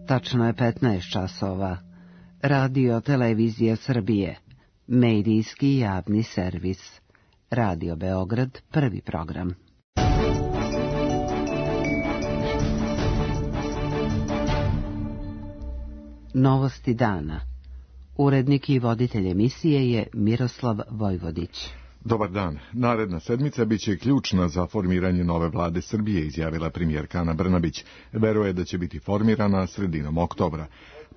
Tačno je 15 časova. Radio Televizija Srbije. Medijski javni servis. Radio Beograd, prvi program. Novosti dana. Urednik i voditelj emisije je Miroslav Vojvodić. Dobar dan. Naredna sedmica biće ključna za formiranje nove vlade Srbije, izjavila premijerka Ana Brnabić. Veruje da će biti formirana sredinom oktobra.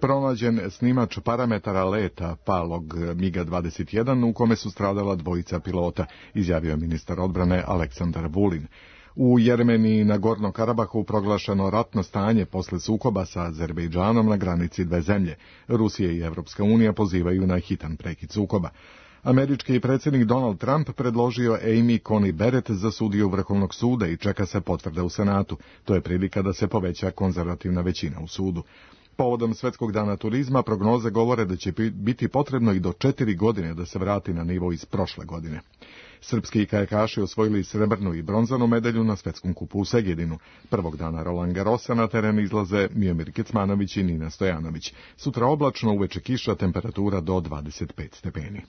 Pronađen snimač parametara leta palog MiG-21 u kome su stradala dvojica pilota, izjavio ministar odbrane Aleksandar Vulin. U Jermeniji na Gornom Karabahu proglašeno ratno stanje posle sukoba sa Azerbejdžanom na granici dve zemlje. Rusija i Evropska unija pozivaju na hitan prekid sukoba. Američki predsjednik Donald Trump predložio Amy Coney Barrett za sudiju Vrhovnog suda i čeka se potvrda u Senatu. To je prilika da se poveća konzervativna većina u sudu. Povodom Svetskog dana turizma prognoze govore da će biti potrebno i do 4 godine da se vrati na nivo iz prošle godine. Srpski kajakaši osvojili srebrnu i bronzanu medalju na Svetskom kupu u Segedinu. Prvog dana Roland Garrosa na teren izlaze Miomir Kecmanović i Nina Stojanović. Sutra oblačno, uveče kiša, temperatura do 25 stepeni.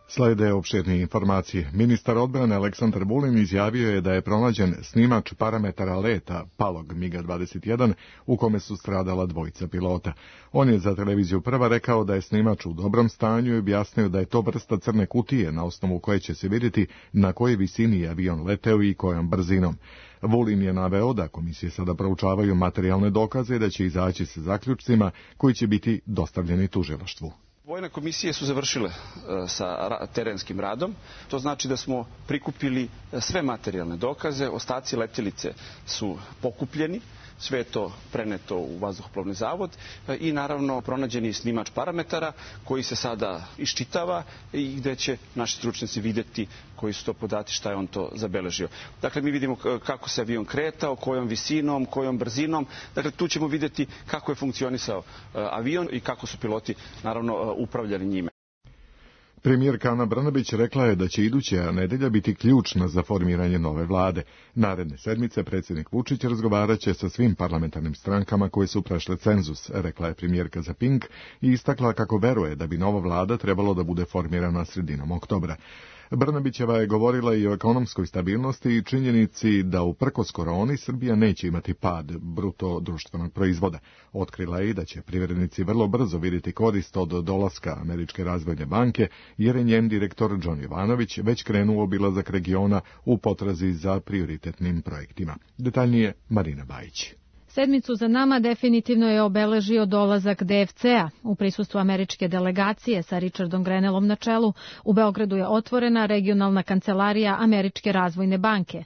Slede opširnije informacije. Ministar odbrane Aleksandar Vulin izjavio je da je pronađen snimač parametara leta palog MiG-21 u kome su stradala dvojica pilota. On je za televiziju Prva rekao da je snimač u dobrom stanju i objasnio da je to vrsta crne kutije na osnovu koje će se vidjeti na kojoj visini je avion leteo i kojom brzinom. Vulin je naveo da komisije sada proučavaju materijalne dokaze i da će izaći sa zaključcima koji će biti dostavljeni tužilaštvu. Vojne komisije su završile sa terenskim radom. To znači da smo prikupili sve materijalne dokaze, ostaci letjelice su pokupljeni, sve je to preneto u vazduhoplovni zavod i naravno pronađeni snimač parametara koji se sada iščitava i gdje će naši stručnjaci vidjeti koji su to podaci, šta je on to zabeležio. Dakle, mi vidimo kako se avion kretao, kojom visinom, kojom brzinom. Dakle, tu ćemo vidjeti kako je funkcionisao avion i kako su piloti naravno upravljali njime. Premijerka Ana Brnabić rekla je da će iduća nedelja biti ključna za formiranje nove vlade. Naredne sedmice predsjednik Vučić razgovarat će sa svim parlamentarnim strankama koje su prešle cenzus, rekla je premijerka za Pink i istakla kako veruje da bi nova vlada trebalo da bude formirana sredinom oktobra. Brnabićeva je govorila i o ekonomskoj stabilnosti i činjenici da uprkos koroni Srbija neće imati pad bruto društvenog proizvoda. Otkrila je i da će privrednici vrlo brzo vidjeti korist od dolaska Američke razvojne banke, jer je njen direktor John Jovanović već krenuo obilazak regiona u potrazi za prioritetnim projektima. Detaljnije Marina Bajić. Sedmicu za nama definitivno je obeležio dolazak DFC-a. U prisustvu američke delegacije sa Richardom Grenellom na čelu u Beogradu je otvorena regionalna kancelarija Američke razvojne banke.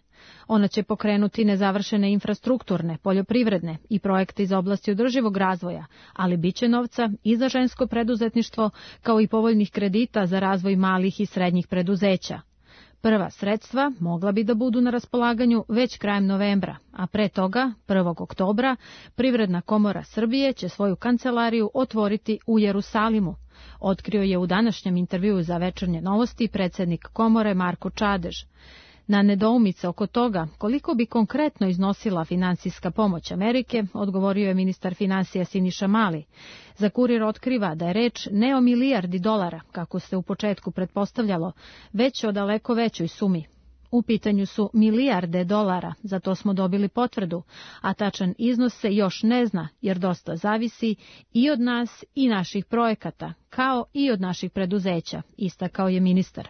Ona će pokrenuti nezavršene infrastrukturne, poljoprivredne i projekte iz oblasti održivog razvoja, ali biće novca i za žensko preduzetništvo kao i povoljnih kredita za razvoj malih i srednjih preduzeća. Prva sredstva mogla bi da budu na raspolaganju već krajem novembra, a pre toga, 1. oktobra, Privredna komora Srbije će svoju kancelariju otvoriti u Jerusalimu. Otkrio je u današnjem intervjuu za Večernje novosti predsjednik komore Marko Čadež. Na nedoumice oko toga koliko bi konkretno iznosila finansijska pomoć Amerike, odgovorio je ministar finansija Siniša Mali. Za Kurir otkriva da je reč ne o milijardi dolara, kako se u početku pretpostavljalo, već o daleko većoj sumi. U pitanju su milijarde dolara, za to smo dobili potvrdu, a tačan iznos se još ne zna, jer dosta zavisi i od nas i naših projekata, kao i od naših preduzeća, istakao je ministar.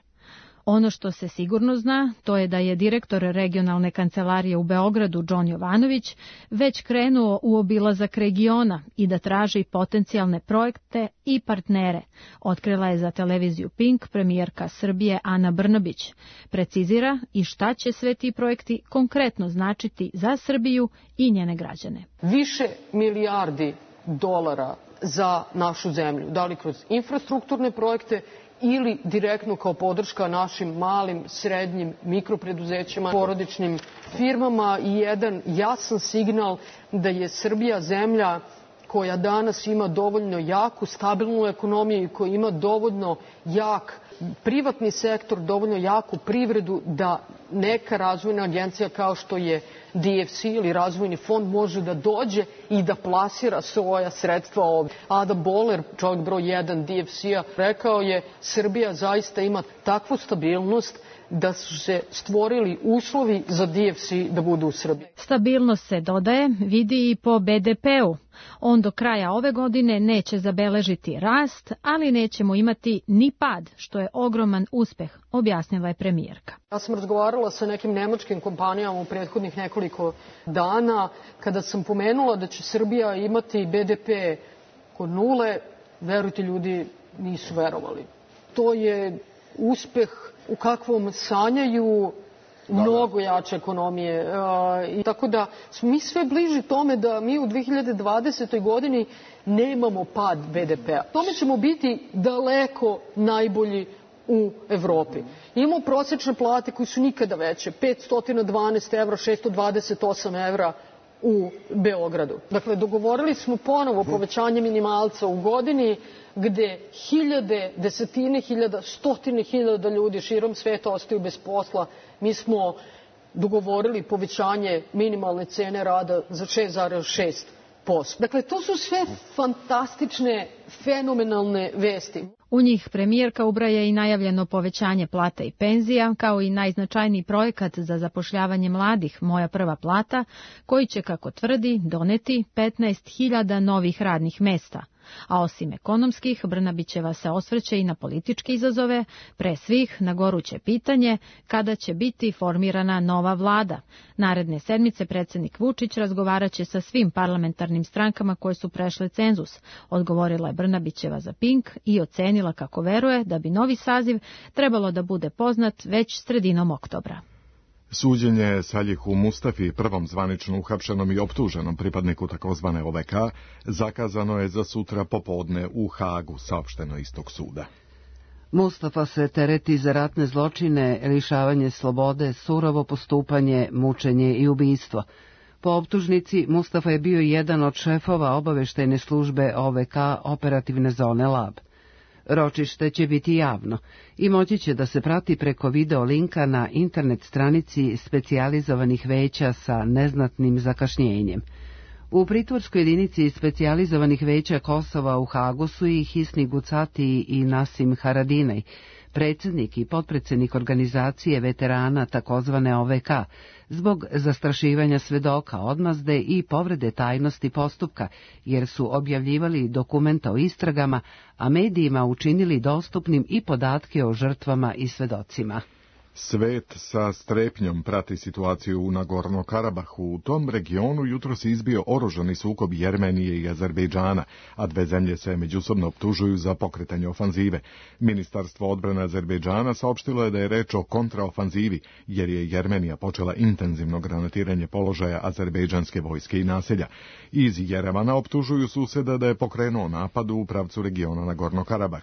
Ono što se sigurno zna, to je da je direktor regionalne kancelarije u Beogradu, John Jovanović, već krenuo u obilazak regiona i da traži potencijalne projekte i partnere, otkrila je za televiziju Pink premijerka Srbije Ana Brnabić. Precizira i šta će sve ti projekti konkretno značiti za Srbiju i njene građane. Više milijardi dolara za našu zemlju, da li kroz infrastrukturne projekte ili direktno kao podrška našim malim, srednjim, mikropreduzećima, porodičnim firmama i jedan jasan signal da je Srbija zemlja koja danas ima dovoljno jaku, stabilnu ekonomiju i koja ima dovoljno jak privatni sektor, dovoljno jaku privredu da neka razvojna agencija kao što je DFC ili razvojni fond može da dođe i da plasira svoja sredstva ovdje. Adam Boller, čovjek broj 1 DFC-a, rekao je Srbija zaista ima takvu stabilnost da su se stvorili uslovi za DFC da budu u Srbiji. Stabilnost se, dodaje, vidi i po BDP-u. On do kraja ove godine neće zabeležiti rast, ali nećemo imati ni pad, što je ogroman uspeh, objasnila je premijerka. Ja sam razgovarala sa nekim nemačkim kompanijama u prethodnih nekoliko dana. Kada sam pomenula da će Srbija imati BDP kod nule, verujte, ljudi nisu verovali. To je uspeh u kakvom sanjaju mnogo jače ekonomije. Tako da smo mi sve bliži tome da mi u 2020. godini nemamo pad BDP-a. Tome ćemo biti daleko najbolji u Evropi. Imamo prosječne plate koje su nikada veće, 512 evra, 628 evra u Beogradu. Dakle, dogovorili smo ponovo povećanje minimalca u godini, gde hiljade, desetine hiljada, stotine hiljada ljudi širom sveta ostaju bez posla. Mi smo dogovorili povećanje minimalne cene rada za 6,6%. Dakle, to su sve fantastične, fenomenalne vesti. U njih premijerka ubraja i najavljeno povećanje plata i penzija, kao i najznačajniji projekat za zapošljavanje mladih Moja prva plata, koji će, kako tvrdi, doneti 15.000 novih radnih mesta. A osim ekonomskih, Brnabićeva se osvrće i na političke izazove, pre svih na goruće pitanje kada će biti formirana nova vlada. Naredne sedmice predsjednik Vučić razgovaraće sa svim parlamentarnim strankama koje su prešle cenzus, odgovorila je Brnabićeva za Pink i ocenila kako veruje da bi novi saziv trebalo da bude poznat već sredinom oktobra. Suđenje Saljihu Mustafi, prvom zvanično uhapšenom i optuženom pripadniku takozvane OVK, zakazano je za sutra popodne u Hagu, saopšteno iz tog suda. Mustafa se tereti za ratne zločine, lišavanje slobode, surovo postupanje, mučenje i ubistvo. Po optužnici, Mustafa je bio jedan od šefova obaveštajne službe OVK operativne zone Lab. Ročište će biti javno i moći će da se prati preko video linka na internet stranici specijalizovanih veća sa neznatnim zakašnjenjem. U pritvorskoj jedinici specijalizovanih veća Kosova u Hagu su i Hisni Gucati i Nasim Haradinaj, predsjednik i potpredsjednik organizacije veterana takozvane OVK, zbog zastrašivanja svedoka, odmazde i povrede tajnosti postupka, jer su objavljivali dokumenta o istragama, a medijima učinili dostupnim i podatke o žrtvama i svedocima. Svet sa strepnjom prati situaciju u Nagorno-Karabahu. U tom regionu jutros je izbio oružani sukob Jermenije i Azerbejdžana, a dve zemlje se međusobno optužuju za pokretanje ofanzive. Ministarstvo odbrane Azerbejdžana saopštilo je da je reč o kontraofanzivi, jer je Jermenija počela intenzivno granatiranje položaja azerbejdžanske vojske i naselja. Iz Jerevana optužuju suseda da je pokrenuo napad u pravcu regiona Nagorno-Karabah.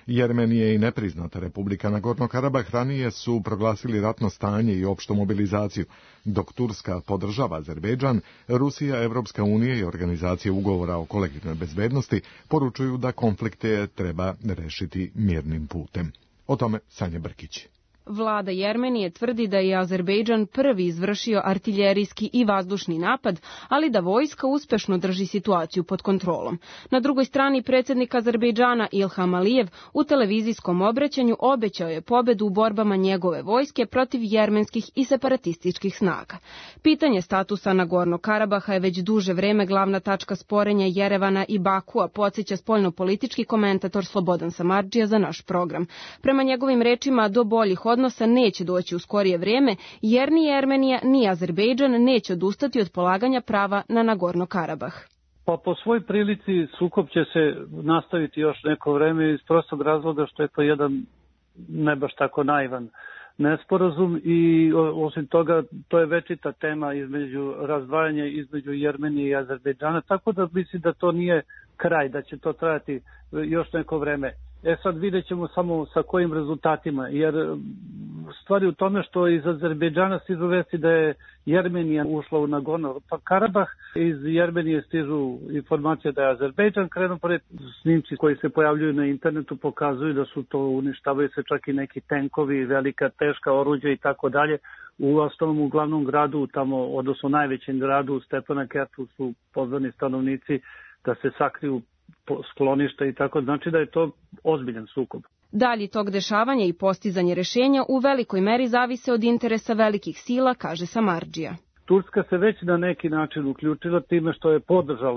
Jermenije i nepriznata Republika Nagorno-Karabah ranije su proglasili ratno stanje i opštu mobilizaciju. Dok Turska podržava Azerbejdžan, Rusija, Evropska unija i organizacije ugovora o kolektivnoj bezbednosti poručuju da konflikte treba rešiti mirnim putem. O tome Sanja Brkić. Vlada Jermenije tvrdi da je Azerbejdžan prvi izvršio artiljerijski i vazdušni napad, ali da vojska uspešno drži situaciju pod kontrolom. Na drugoj strani predsjednik Azerbejdžana Ilham Alijev u televizijskom obraćanju obećao je pobedu u borbama njegove vojske protiv jermenskih i separatističkih snaga. Pitanje statusa Nagorno-Karabaha je već duže vreme glavna tačka sporenja Jerevana i Bakua, podsjeća spoljnopolitički komentator Slobodan Samardžija za naš program. Prema njegovim rečima, do boljih odnosa neće doći u skorije vrijeme, jer ni Jermenija ni Azerbejdžan neće odustati od polaganja prava na Nagorno-Karabah. Pa po svoj prilici sukob će se nastaviti još neko vreme iz prostog razloga što je to jedan ne baš tako naivan nesporazum i osim toga to je večita tema između razdvajanja između Jermenije i Azerbejdžana, tako da mislim da to nije kraj, da će to trajati još neko vreme. Sad vidjet ćemo samo sa kojim rezultatima, jer stvari u tome što iz Azerbejdžana stižu vesti da je Jermenija ušla u Nagorno-Karabah. Iz Jermenije stižu informacije da je Azerbejdžan krenuo pored. Snimci koji se pojavljuju na internetu pokazuju da su to, uništavaju se čak i neki tenkovi, velika teška oruđa i tako dalje. U ostalom u glavnom gradu, tamo, odnosno najvećem gradu, Stepanakertu, su pozvani stanovnici da se sakriju skloništa i tako. Znači da je to ozbiljan sukob. Dalji tok dešavanja i postizanje rešenja u velikoj meri zavise od interesa velikih sila, kaže Samardžija. Turska se već na neki način uključila time što je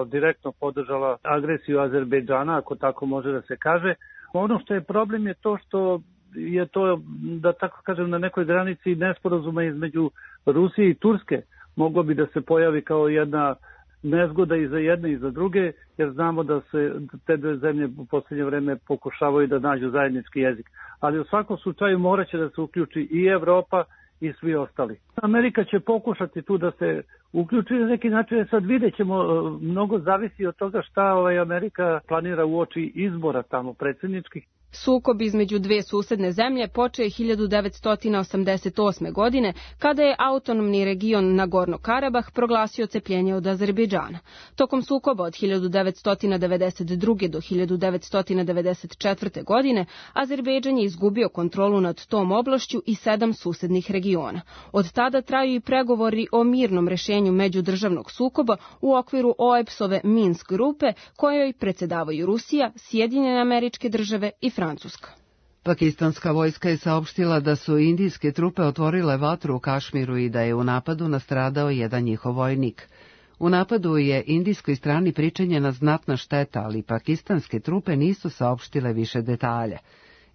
direktno podržala agresiju Azerbejdžana, ako tako može da se kaže. Ono što je problem je to što je to, da tako kažem, na nekoj granici nesporazuma između Rusije i Turske. Moglo bi da se pojavi kao jedna nezgoda i za jedne i za druge, jer znamo da se te dve zemlje u posljednje vreme pokušavaju da nađu zajednički jezik. Ali u svakom slučaju moraće da se uključi i Evropa i svi ostali. Amerika će pokušati tu da se uključi na neki način. Sad vidjet ćemo, mnogo zavisi od toga šta Amerika planira uoči izbora tamo predsjedničkih. Sukob između dve susedne zemlje počeo je 1988. godine, kada je autonomni region Nagorno-Karabah proglasio cepljenje od Azerbejdžana. Tokom sukoba od 1992. do 1994. godine Azerbejdžan je izgubio kontrolu nad tom oblašću i 7 susednih regiona. Od tada traju i pregovori o mirnom rešenju međudržavnog sukoba u okviru OEBS-ove Minsk grupe, kojoj predsedavaju Rusija, Sjedinjene Američke Države i Francuska. Pakistanska vojska je saopštila da su indijske trupe otvorile vatru u Kašmiru i da je u napadu nastradao jedan njihov vojnik. U napadu je indijskoj strani pričinjena znatna šteta, ali pakistanske trupe nisu saopštile više detalje.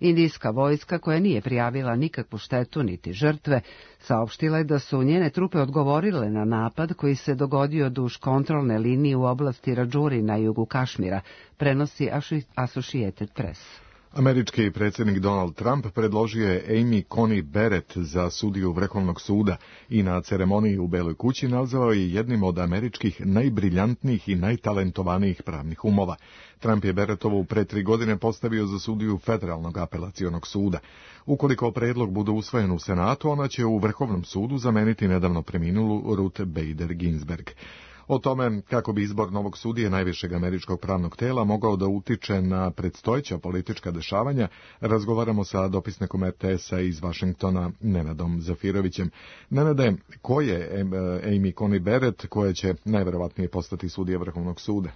Indijska vojska, koja nije prijavila nikakvu štetu niti žrtve, saopštila je da su njene trupe odgovorile na napad koji se dogodio duž kontrolne linije u oblasti Radžuri na jugu Kašmira, prenosi Associated Press. Američki predsjednik Donald Trump predložio je Amy Coney Barrett za sudiju Vrhovnog suda i na ceremoniji u Beloj kući nazvao je jednim od američkih najbriljantnijih i najtalentovanijih pravnih umova. Trump je Barrettovu pre 3 godine postavio za sudiju Federalnog apelacionog suda. Ukoliko predlog bude usvojen u Senatu, ona će u Vrhovnom sudu zameniti nedavno preminulu Ruth Bader Ginsburg. O tome kako bi izbor novog sudije najvišeg američkog pravnog tela mogao da utiče na predstojeća politička dešavanja, razgovaramo sa dopisnikom RTS-a iz Vašingtona, Nenadom Zafirovićem. Nenade, ko je Amy Coney Barrett, koja će najverovatnije postati sudija Vrhovnog suda?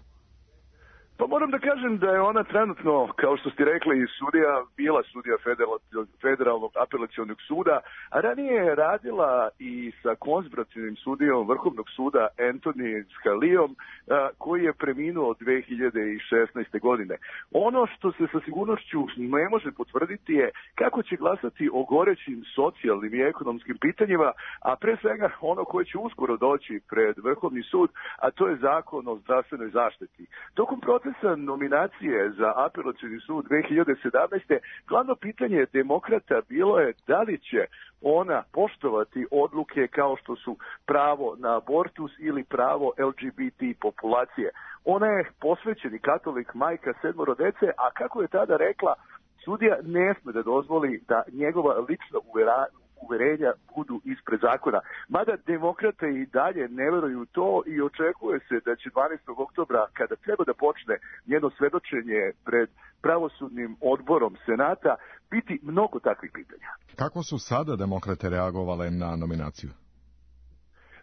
Pa moram da kažem da je ona trenutno, kao što ste rekli, bila sudija Federalnog apelacionog suda, a ranije je radila i sa konzervativnim sudijom Vrhovnog suda Anthony Scalijom, koji je preminuo 2016. godine. Ono što se sa sigurnošću ne može potvrditi je kako će glasati o gorećim socijalnim i ekonomskim pitanjima, a pre svega ono koje će uskoro doći pred Vrhovni sud, a to je zakon o zdravstvenoj zaštiti. Tokom procesa nominacije za apelacioni sud 2017. glavno pitanje demokrata bilo je da li će ona poštovati odluke kao što su pravo na abortus ili pravo LGBT populacije. Ona je posvećeni katolik, majka 7 dece, a kako je tada rekla, sudija ne sme da dozvoli da njegova lična uverenja budu ispred zakona. Mada demokrate i dalje ne veruju to i očekuje se da će 12. oktobra, kada treba da počne njeno svedočenje pred pravosudnim odborom Senata, biti mnogo takvih pitanja. Kako su sada demokrate reagovale na nominaciju?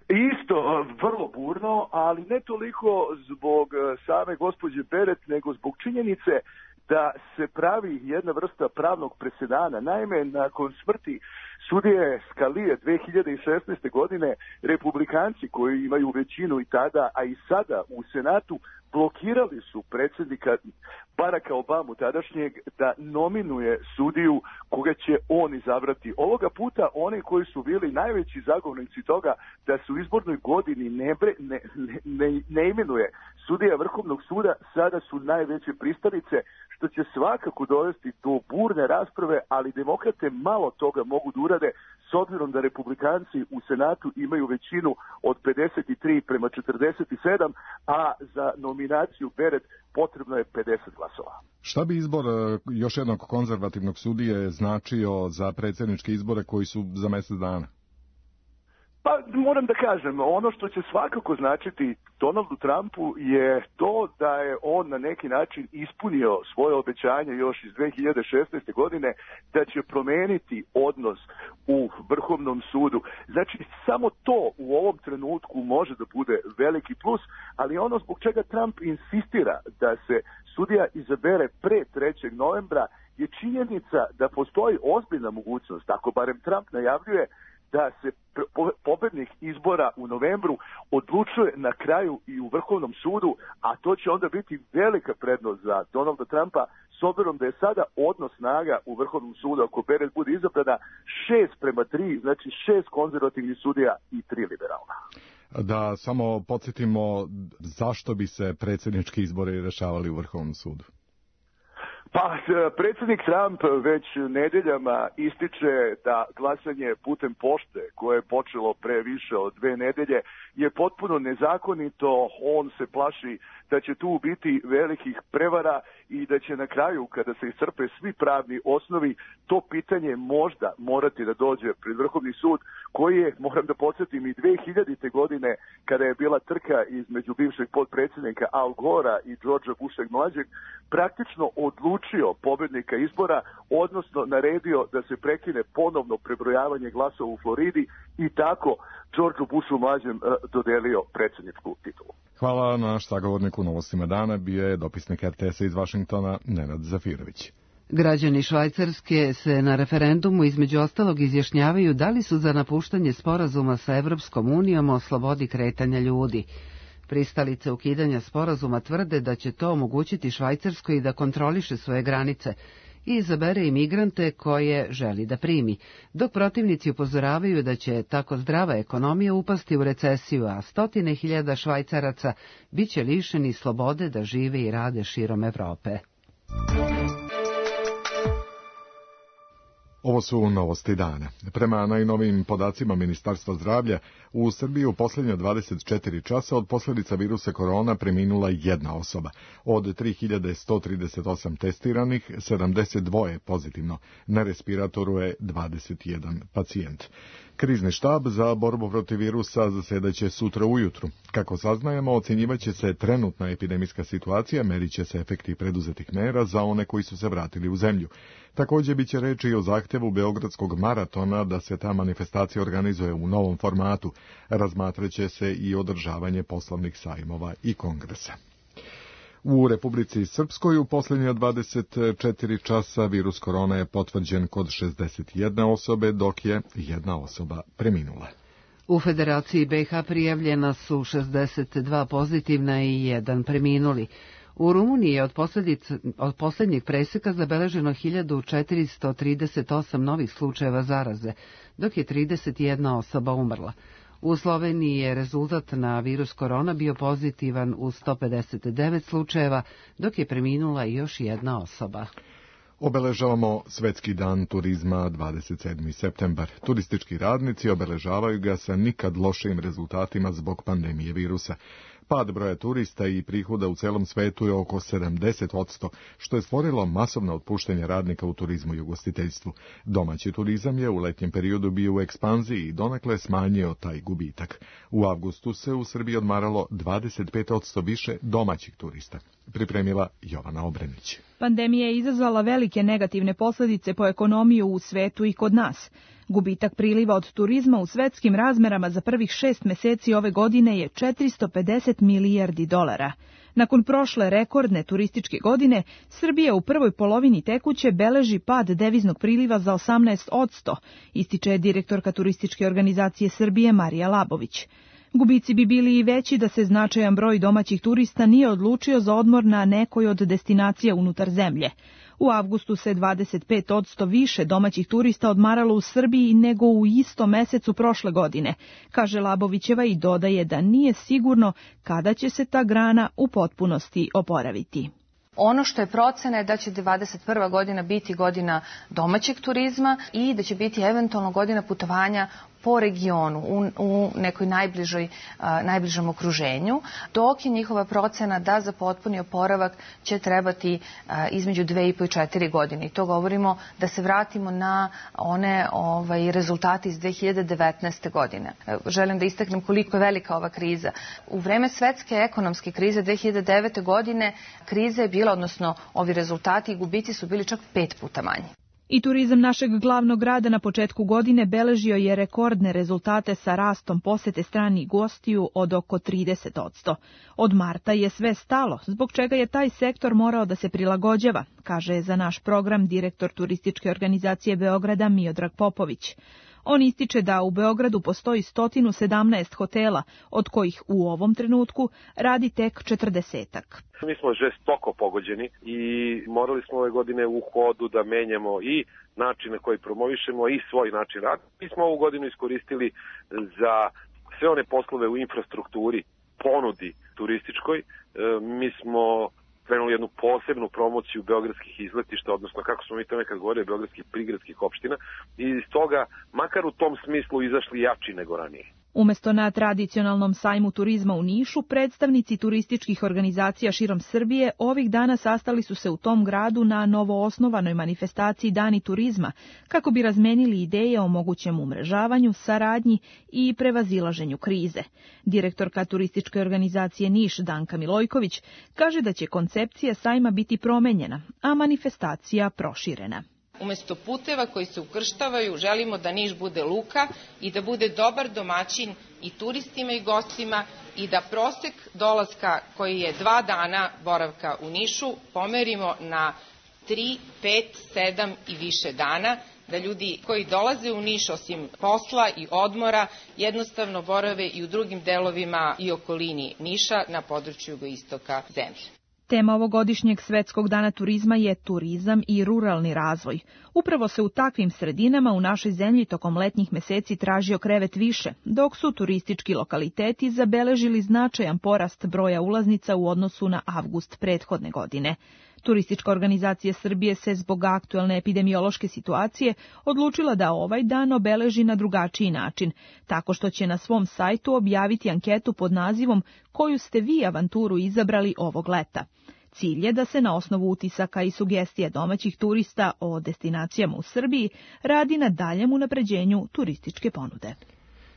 Isto, vrlo burno, ali ne toliko zbog same gospođe Barrett, nego zbog činjenice da se pravi jedna vrsta pravnog presedana. Naime, nakon smrti sudije Scalije 2016. godine, republikanci koji imaju većinu i tada, a i sada u Senatu, blokirali su predsjednika Baracka Obamu tadašnjeg da nominuje sudiju koga će on izabrati. Ovoga puta oni koji su bili najveći zagovornici toga da se u izbornoj godini ne imenuje sudija Vrhovnog suda, sada su najveće pristalice, što će svakako dovesti do burne rasprave, ali demokrate malo toga mogu da urade s s obzirom da republikanci u Senatu imaju većinu od 53-47, a za nominaciju Barrett potrebno je 50 glasova. Šta bi izbor još jednog konzervativnog sudije značio za predsjedničke izbore koji su za mjesec dana? Pa moram da kažem, ono što će svakako značiti Donaldu Trumpu je to da je on na neki način ispunio svoje obećanje još iz 2016. godine da će promeniti odnos u Vrhovnom sudu. Znači, samo to u ovom trenutku može da bude veliki plus, ali ono zbog čega Trump insistira da se sudija izabere pre 3. novembra je činjenica da postoji ozbiljna mogućnost, ako barem Trump najavljuje, da se pobednik izbora u novembru odlučuje na kraju i u Vrhovnom sudu, a to će onda biti velika prednost za Donalda Trumpa, s obzirom da je sada odnos snaga u Vrhovnom sudu, ako Barrett bude izabrana, 6:3, znači 6 konzervativnih sudija i 3 liberalna. Da samo podsjetimo zašto bi se predsjednički izbori rešavali u Vrhovnom sudu. Pa, predsjednik Trump već nedeljama ističe da glasanje putem pošte, koje je počelo pre više od 2 nedelje, je potpuno nezakonito. On se plaši da će tu biti velikih prevara i da će na kraju, kada se iscrpe svi pravni osnovi, to pitanje možda morati da dođe pred Vrhovni sud, koji je, moram da podsjetim, i 2000. godine, kada je bila trka između bivšeg potpredsjednika Al Gora i Georgea Busha mlađeg, praktično odlučio pobednika izbora, odnosno naredio da se prekine ponovno prebrojavanje glasova u Floridi i tako Georgeu Bushu mlađem dodelio predsjedničku titulu. Hvala. Naš sagovornik u Novostima dana bio je dopisnik RTS-a iz Vašingtona Nenad Zafirović. Građani Švajcarske se na referendumu između ostalog izjašnjavaju da li su za napuštanje sporazuma sa Evropskom unijom o slobodi kretanja ljudi. Pristalice ukidanja sporazuma tvrde da će to omogućiti Švajcarskoj da kontroliše svoje granice i izabere imigrante koje želi da primi, dok protivnici upozoravaju da će tako zdrava ekonomija upasti u recesiju, a 100.000 Švajcaraca biće lišeni slobode da žive i rade širom Evrope. Ovo su novosti dana. Prema najnovijim podacima Ministarstva zdravlja, u Srbiji u posljednje 24 časa od posljedica virusa korona preminula 1 osoba. Od 3138 testiranih, 72 je pozitivno. Na respiratoru je 21 pacijent. Krizni štab za borbu protiv virusa zasedaće sutra ujutru. Kako saznajemo, ocjenjivaće se trenutna epidemijska situacija, merit će se efekti preduzetih mera za one koji su se vratili u zemlju. Također biće reči i o zahtjevu Beogradskog maratona da se ta manifestacija organizuje u novom formatu. Razmatraće se i održavanje poslovnih sajmova i kongresa. U Republici Srpskoj u posljednje 24 časa virus korona je potvrđen kod 61 osobe, dok je 1 osoba preminula. U Federaciji BiH prijavljena su 62 pozitivna i 1 preminuli. U Rumuniji je od posljednjeg preseka zabeleženo 1438 novih slučajeva zaraze, dok je 31 osoba umrla. U Sloveniji je rezultat na virus korona bio pozitivan u 159 slučajeva, dok je preminula još 1 osoba. Obeležavamo Svetski dan turizma 27. septembar. Turistički radnici obeležavaju ga sa nikad lošim rezultatima zbog pandemije virusa. Pad broja turista i prihoda u celom svetu je oko 70%, što je stvorilo masovno otpuštanje radnika u turizmu i ugostiteljstvu. Domaći turizam je u letnjem periodu bio u ekspanziji i donekle smanjio taj gubitak. U avgustu se u Srbiji odmaralo 25% više domaćih turista. Pripremila Jovana Obrenić. Pandemija je izazvala velike negativne posljedice po ekonomiju u svetu i kod nas. Gubitak priliva od turizma u svetskim razmerama za prvih 6 meseci ove godine je 450 milijardi dolara. Nakon prošle rekordne turističke godine, Srbija u prvoj polovini tekuće beleži pad deviznog priliva za 18%, ističe direktorka turističke organizacije Srbije Marija Labović. Gubici bi bili i veći da se značajan broj domaćih turista nije odlučio za odmor na nekoj od destinacija unutar zemlje. U avgustu se 25% više domaćih turista odmaralo u Srbiji nego u istom mesecu prošle godine, kaže Labovićeva i dodaje da nije sigurno kada će se ta grana u potpunosti oporaviti. Ono što je procena je da će 2021. godina biti godina domaćeg turizma i da će biti eventualno godina putovanja po regionu, u nekoj najbližem okruženju, dok je njihova procena da za potpuni oporavak će trebati između 2,5 i 4 godine. I to govorimo da se vratimo na one rezultate iz 2019. godine. Želim da istaknem koliko je velika ova kriza. U vreme svetske ekonomske krize 2009. godine kriza je bila, odnosno ovi rezultati i gubici su bili čak 5 puta manji. I turizam našeg glavnog grada na početku godine beležio je rekordne rezultate sa rastom posete stranih gostiju od oko 30%. Od marta je sve stalo, zbog čega je taj sektor morao da se prilagođava, kaže za naš program direktor turističke organizacije Beograda Miodrag Popović. On ističe da u Beogradu postoji 117 hotela, od kojih u ovom trenutku radi tek 40-ak. Mi smo žestoko pogođeni i morali smo ove godine u hodu da menjamo i načine koji promovišemo i svoj način rada. Mi smo ovu godinu iskoristili za sve one poslove u infrastrukturi, ponudi turističkoj. Mi smo krenuli jednu posebnu promociju beogradskih izletišta, odnosno kako smo mi to nekad govorili, beogradskih prigradskih opština i iz toga, makar u tom smislu, izašli jači nego ranije. Umesto na tradicionalnom sajmu turizma u Nišu, predstavnici turističkih organizacija širom Srbije ovih dana sastali su se u tom gradu na novoosnovanoj manifestaciji Dani turizma, kako bi razmenili ideje o mogućem umrežavanju, saradnji i prevazilaženju krize. Direktorka turističke organizacije Niš, Danka Milojković, kaže da će koncepcija sajma biti promenjena, a manifestacija proširena. Umesto puteva koji se ukrštavaju, želimo da Niš bude luka i da bude dobar domaćin i turistima i gostima i da prosek dolaska koji je 2 dana boravka u Nišu pomerimo na 3, 5, 7 i više dana, da ljudi koji dolaze u Niš osim posla i odmora jednostavno borave i u drugim delovima i okolini Niša na području jugoistoka zemlje. Tema ovogodišnjeg Svetskog dana turizma je turizam i ruralni razvoj. Upravo se u takvim sredinama u našoj zemlji tokom letnjih meseci tražio krevet više, dok su turistički lokaliteti zabeležili značajan porast broja ulaznica u odnosu na avgust prethodne godine. Turistička organizacija Srbije se zbog aktuelne epidemiološke situacije odlučila da ovaj dan obeleži na drugačiji način, tako što će na svom sajtu objaviti anketu pod nazivom "Koju ste vi avanturu izabrali ovog leta?". Cilj je da se na osnovu utisaka i sugestija domaćih turista o destinacijama u Srbiji radi na daljem unapređenju turističke ponude.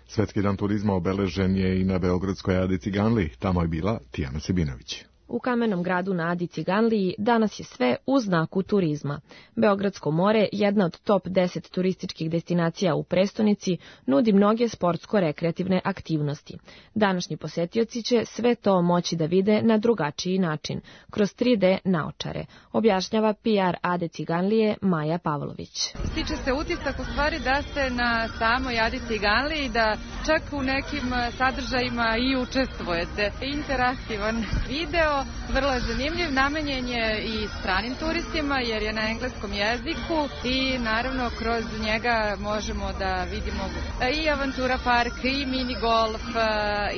Svetski dan turizma obeležen je i na beogradskoj Adi Ciganliji, tamo je bila Tijana Sebinović. U Kamenom gradu na Adi Ciganliji danas je sve u znaku turizma. Beogradsko more, jedna od top 10 turističkih destinacija u prestonici, nudi mnoge sportsko-rekreativne aktivnosti. Današnji posetioci će sve to moći da vide na drugačiji način, kroz 3D naočare, objašnjava PR Ade Ciganlije Maja Pavlović. Stiče se utisak u stvari da ste na samoj Adi Ciganliji, da čak u nekim sadržajima i učestvujete. Interaktivan video, vrlo je zanimljiv, namenjen je i stranim turistima jer je na engleskom jeziku i naravno kroz njega možemo da vidimo i avantura park, i mini golf,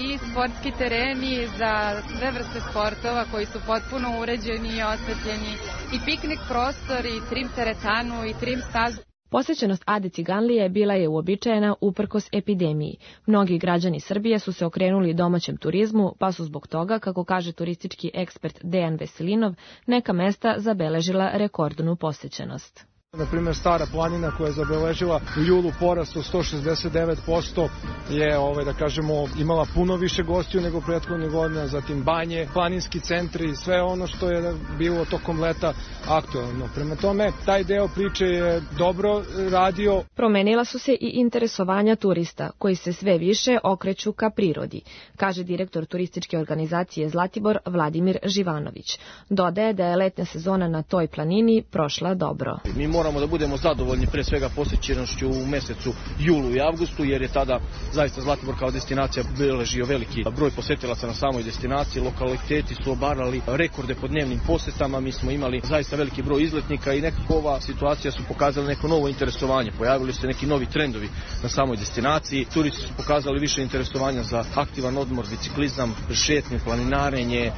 i sportski tereni za sve vrste sportova koji su potpuno uređeni i osvetljeni, i piknik prostor, i trim teretanu, i trim stazu. Posećenost Ade Ciganlije bila je uobičajena uprkos epidemiji. Mnogi građani Srbije su se okrenuli domaćem turizmu, pa su zbog toga, kako kaže turistički ekspert Dejan Veselinov, neka mesta zabeležila rekordnu posećenost. Na primjer, Stara planina koja je zabeležila u julu porast od 169% je, da kažemo, imala puno više gostiju nego prethodnih godina, zatim banje, planinski centri, sve ono što je bilo tokom leta aktualno. Prema tome, taj deo priče je dobro radio. Promenila su se i interesovanja turista, koji se sve više okreću ka prirodi, kaže direktor turističke organizacije Zlatibor Vladimir Živanović. Dodaje da je letnja sezona na toj planini prošla dobro. Mi moramo da budemo zadovoljni pre svega posjećenošću u mesecu julu i avgustu, jer je tada zaista Zlatibor kao destinacija beležio veliki broj posetilaca na samoj destinaciji. Lokaliteti su obarali rekorde po dnevnim posetama, mi smo imali zaista veliki broj izletnika i nekako ova situacija su pokazali neko novo interesovanje. Pojavili su se neki novi trendovi na samoj destinaciji. Turisti su pokazali više interesovanja za aktivan odmor, biciklizam, šetnju, planinarenje,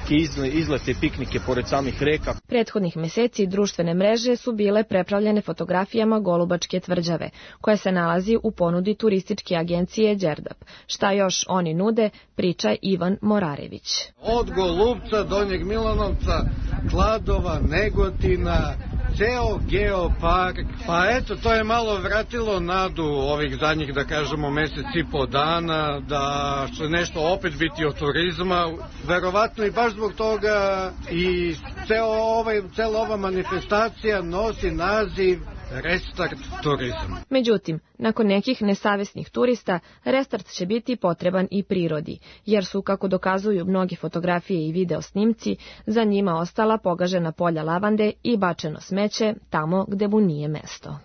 izlete, piknike pored samih reka. Prethodnih meseci društvene mreže su bile prepravljene fotografijama Golubačke tvrđave, koja se nalazi u ponudi turističke agencije Đerdap. Šta još oni nude, priča Ivan Morarević. Od Golubca, Donjeg Milanovca, Kladova, Negotina, ceo geopark, pa eto, to je malo vratilo nadu ovih zadnjih, da kažemo, mesec i po dana, da će nešto opet biti od turizma, verovatno i baš zbog toga i cela ova manifestacija nosi naziv Restart turizam. Međutim, nakon nekih nesavesnih turista, restart će biti potreban i prirodi, jer su, kako dokazuju mnoge fotografije i video snimci, za njima ostala pogažena polja lavande i bačeno smeće tamo gde mu nije mesto.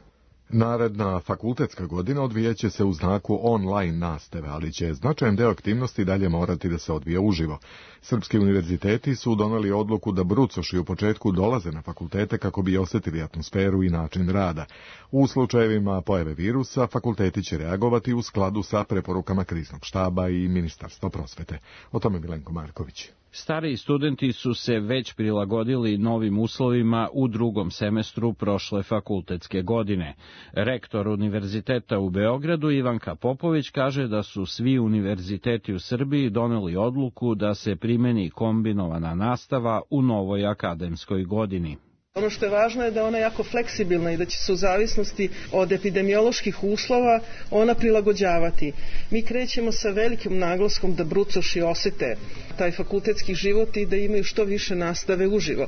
Naredna fakultetska godina odvijeće se u znaku online nastave, ali će značajan deo aktivnosti dalje morati da se odvija uživo. Srpski univerziteti su doneli odluku da brucoši u početku dolaze na fakultete kako bi osjetili atmosferu i način rada. U slučajevima pojave virusa, fakulteti će reagovati u skladu sa preporukama kriznog štaba i Ministarstva prosvete. O tome Milenko Marković. Stariji studenti su se već prilagodili novim uslovima u drugom semestru prošle fakultetske godine. Rektor Univerziteta u Beogradu Ivanka Popović kaže da su svi univerziteti u Srbiji doneli odluku da se primeni kombinovana nastava u novoj akademskoj godini. Ono što je važno je da ona je jako fleksibilna i da će se u zavisnosti od epidemioloških uslova ona prilagođavati. Mi krećemo sa velikim naglaskom da brucoši osete taj fakultetski život i da imaju što više nastave uživo.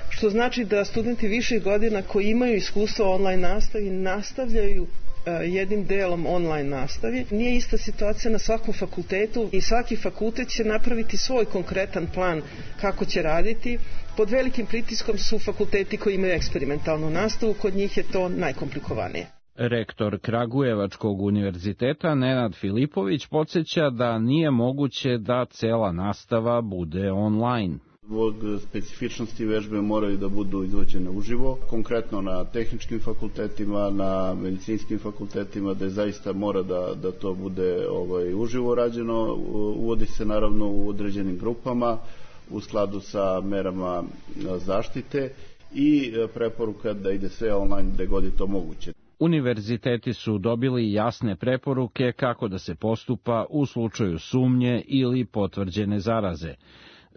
Što znači da studenti viših godina koji imaju iskustvo online nastavi nastavljaju jednim delom online nastavi. Nije ista situacija na svakom fakultetu i svaki fakultet će napraviti svoj konkretan plan kako će raditi. Pod velikim pritiskom su fakulteti koji imaju eksperimentalnu nastavu, kod njih je to najkomplikovanije. Rektor Kragujevačkog univerziteta Nenad Filipović podsjeća da nije moguće da cela nastava bude online. Zbog specifičnosti vežbe moraju da budu izvođene uživo, konkretno na tehničkim fakultetima, na medicinskim fakultetima, da zaista mora da to bude uživo rađeno. Uvodi se naravno u određenim grupama u skladu sa merama zaštite i preporuka da ide sve online gde god je to moguće. Univerziteti su dobili jasne preporuke kako da se postupa u slučaju sumnje ili potvrđene zaraze.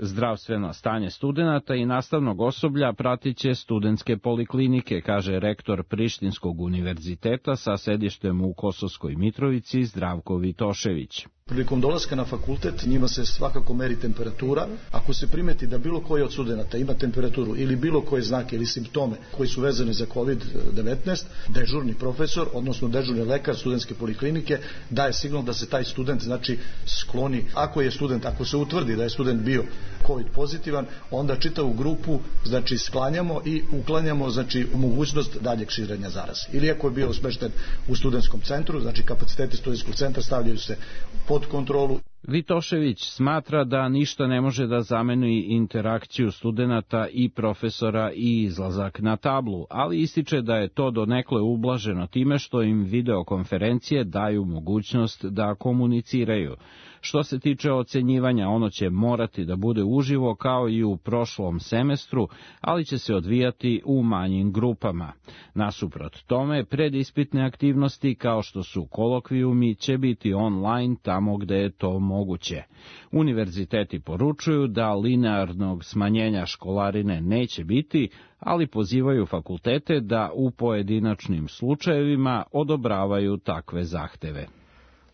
Zdravstveno stanje studenata i nastavnog osoblja pratit će studentske poliklinike, kaže rektor Prištinskog univerziteta sa sedištem u Kosovskoj Mitrovici Zdravko Vitošević. Prilikom dolaska na fakultet njima se svakako meri temperatura. Ako se primeti da bilo koji od studenata ima temperaturu ili bilo koje znake ili simptome koji su vezani za COVID-19, dežurni profesor, odnosno dežurni lekar studentske poliklinike daje signal da se taj student skloni. Ako se utvrdi da je student bio COVID pozitivan, onda čitavu grupu sklanjamo i uklanjamo mogućnost daljeg širenja zaraze. Ili ako je bio smešten u studentskom centru, kapaciteti studentskog centra stavljaju se pod kontrolu. Vitošević smatra da ništa ne može da zameni interakciju studenata i profesora i izlazak na tablu, ali ističe da je to donekle ublaženo time što im videokonferencije daju mogućnost da komuniciraju. Što se tiče ocenjivanja, ono će morati da bude uživo kao i u prošlom semestru, ali će se odvijati u manjim grupama. Nasuprot tome, predispitne aktivnosti kao što su kolokvijumi će biti online tamo gde je to moguće. Univerziteti poručuju da linearnog smanjenja školarine neće biti, ali pozivaju fakultete da u pojedinačnim slučajevima odobravaju takve zahteve.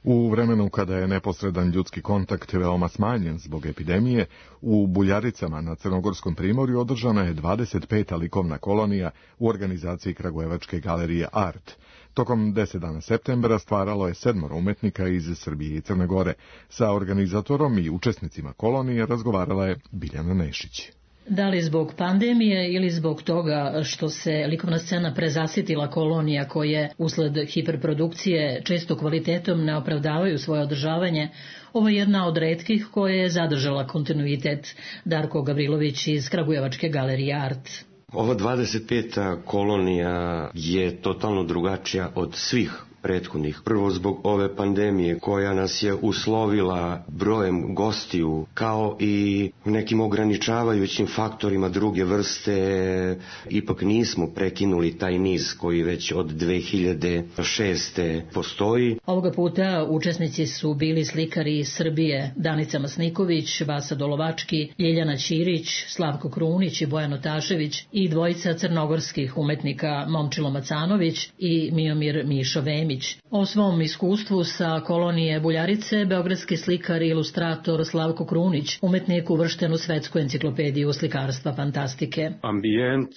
U vremenu kada je neposredan ljudski kontakt veoma smanjen zbog epidemije, u Buljaricama na Crnogorskom primorju održana je 25. likovna kolonija u organizaciji Kragujevačke galerije Art. Tokom 10 dana septembra stvaralo je 7 umetnika iz Srbije i Crne Gore. Sa organizatorom i učesnicima kolonije razgovarala je Biljana Nešić. Da li zbog pandemije ili zbog toga što se likovna scena prezasitila kolonija koje usled hiperprodukcije često kvalitetom ne opravdavaju svoje održavanje, ovo je jedna od retkih koja je zadržala kontinuitet. Darko Gavrilović iz Kragujevačke galerije Art. Ova 25. kolonija je totalno drugačija od svih prethodnih. Prvo zbog ove pandemije koja nas je uslovila brojem gostiju kao i nekim ograničavajućim faktorima druge vrste. Ipak nismo prekinuli taj niz koji već od 2006. postoji. Ovoga puta učesnici su bili slikari iz Srbije Danica Masniković, Vasa Dolovački, Ljiljana Ćirić, Slavko Krunić i Bojan Otašević i dvojica crnogorskih umetnika Momčilo Macanović i Miomir Mišo Vemić. O svom iskustvu sa kolonije Buljarice beogradski slikar i ilustrator Slavko Krunić, umetnik uvršten u Svetsku enciklopediju slikarstva fantastike. Ambijent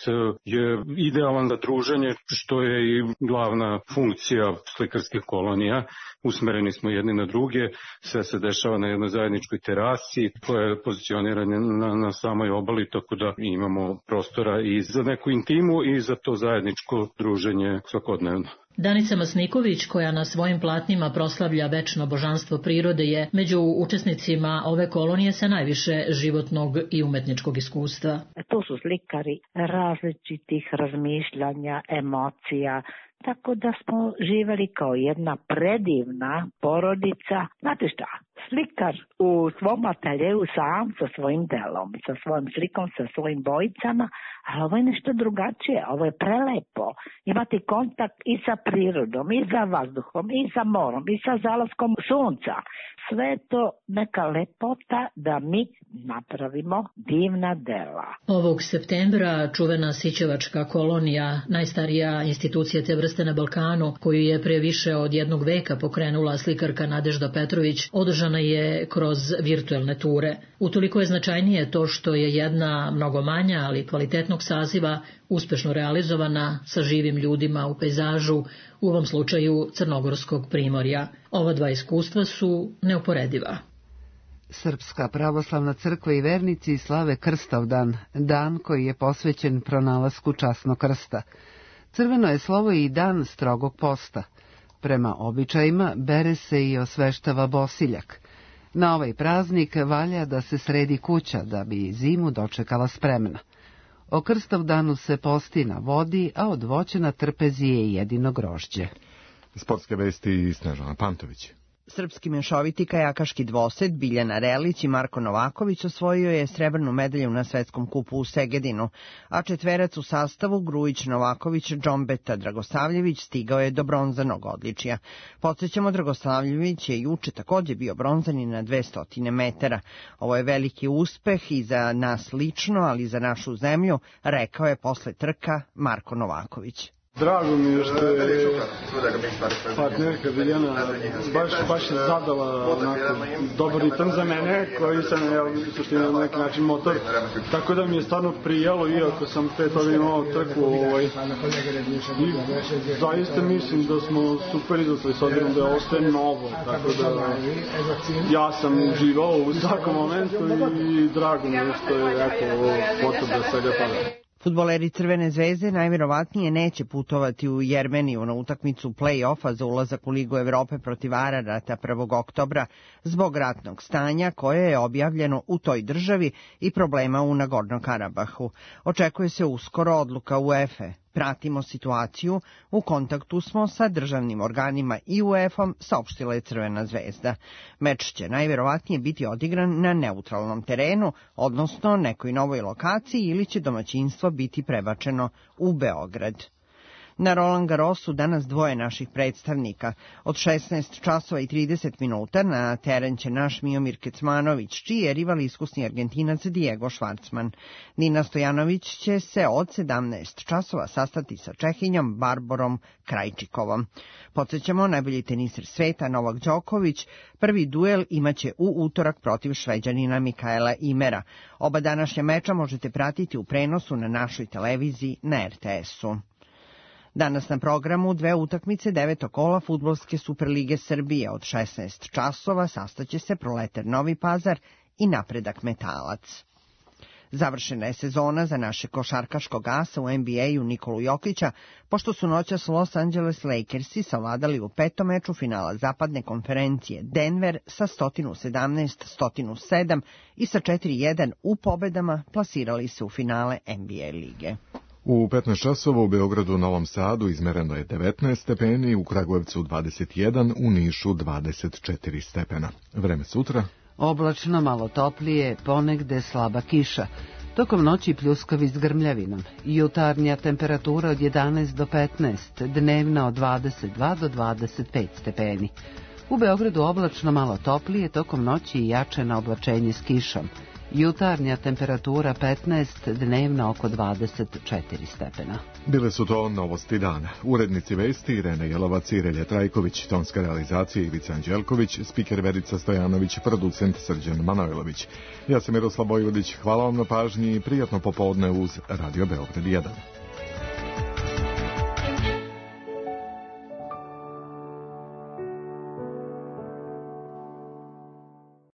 je idealan za druženje, što je i glavna funkcija slikarskih kolonija. Usmereni smo jedni na druge, sve se dešava na jednoj zajedničkoj terasi koja je pozicionirana na samoj obali, tako da imamo prostora i za neku intimu i za to zajedničko druženje svakodnevno. Danica Masniković, koja na svojim platnima proslavlja večno božanstvo prirode, je među učesnicima ove kolonije sa najviše životnog i umetničkog iskustva. To su slikari različitih razmišljanja, emocija, tako da smo živjeli kao jedna predivna porodica. Znate šta? Slikar u svom ateljeju sam sa svojim delom, sa svojim slikom, sa svojim bojicama, ali ovo je nešto drugačije, ovo je prelepo. Imati kontakt i sa prirodom, i sa vazduhom, i sa morom, i sa zalaskom sunca. Sve je to neka lepota da mi napravimo divna dela. Ovog septembra čuvena Sićevačka kolonija, najstarija institucija te vrste na Balkanu, koju je pre više od jednog veka pokrenula slikarka Nadežda Petrović, održana je kroz virtuelne ture. Utoliko je značajnije to što je jedna mnogo manja, ali kvalitetnog saziva uspešno realizovana sa živim ljudima u pejzažu, u ovom slučaju Crnogorskog primorja. Ova dva iskustva su neuporediva. Srpska pravoslavna crkva i vernici slave Krstavdan, dan koji je posvećen pronalasku časnog krsta. Crveno je slovo i dan strogog posta. Prema običajima bere se i osveštava bosiljak. Na ovaj praznik valja da se sredi kuća da bi zimu dočekala spremna. O Krstavdanu se posti na vodi, a od voća na trpezi je jedino grožđe. Sportske vesti i Snežana Pantović. Srpski mešoviti kajakaški dvosed Biljana Relić i Marko Novaković osvojio je srebrnu medalju na svetskom kupu u Segedinu, a četverac u sastavu Grujić, Novaković, Džombeta, Dragosavljević stigao je do bronzanog odličja. Podsjećamo, Dragosavljević je juče takođe bio bronzani na 200 metara. Ovo je veliki uspeh i za nas lično, ali i za našu zemlju, rekao je posle trka Marko Novaković. Drago mi je što je partnerka Biljana baš zadala dobar ritam za mene, koji sam suština na neki način motor, tako da mi je stvarno prijelo, iako sam pre toga imao trku. I zaista mislim da smo super izašli, s obzirom da je ostaje novo, tako da ja sam uživao u svakom momentu i drago mi je što je potvrda svega toga. Fudbaleri Crvene zvezde najvjerovatnije neće putovati u Jermeniju na utakmicu play-offa za ulazak u Ligu Evrope protiv Ararata 1. oktobra zbog ratnog stanja koje je objavljeno u toj državi i problema u Nagorno Karabahu. Očekuje se uskoro odluka UEFA. Pratimo situaciju, u kontaktu smo sa državnim organima i UEFA-om, saopštila je Crvena zvezda. Meč će najvjerovatnije biti odigran na neutralnom terenu, odnosno nekoj novoj lokaciji, ili će domaćinstvo biti prebačeno u Beograd. Na Roland Garrosu danas dvoje naših predstavnika. Od 16 časova i 30 minuta na teren će naš Miomir Kecmanović, čiji je rival iskusni Argentinac Diego Schwartzman. Nina Stojanović će se od 17 časova sastati sa Čehinjom Barborom Krajčikovom. Podsjećamo, najbolji teniser sveta Novak Đoković prvi duel imaće u utorak protiv Šveđanina Mikaela Imera. Oba današnja meča možete pratiti u prenosu na našoj televiziji na RTS-u. Danas na programu dve utakmice 9. kola Fudbalske Superlige Srbije. Od 16 časova sastaće se Proletar Novi Pazar i Napredak Metalac. Završena je sezona za naše košarkaškog asa u NBA-u Nikolu Jokića, pošto su noćas Los Angeles Lakersi savladali u petom meču finala zapadne konferencije Denver sa 117-107 i sa 4-1 u pobedama plasirali se u finale NBA lige. U 15 časova u Beogradu, Novom Sadu izmereno je 19 stepeni, u Kragujevcu 21, u Nišu 24 stepena. Vreme sutra? Oblačno, malo toplije, ponegde slaba kiša. Tokom noći pljuskavi s grmljavinom. Jutarnja temperatura od 11 do 15, dnevna od 22 do 25 stepeni. U Beogradu oblačno, malo toplije, tokom noći i jače oblačenje s kišom. Jutarnja temperatura 15, dnevna oko 24 stepena. Bile su to novosti dana. Urednici vesti Irene Jelovac i Relja Trajković, tonska realizacija Ivica Anđelković, spiker Verica Stojanović, producent Srđan Manojlović. Ja sam Miroslav Vojvodić, hvala vam na pažnji i prijatno popodne uz Radio Beograd 1.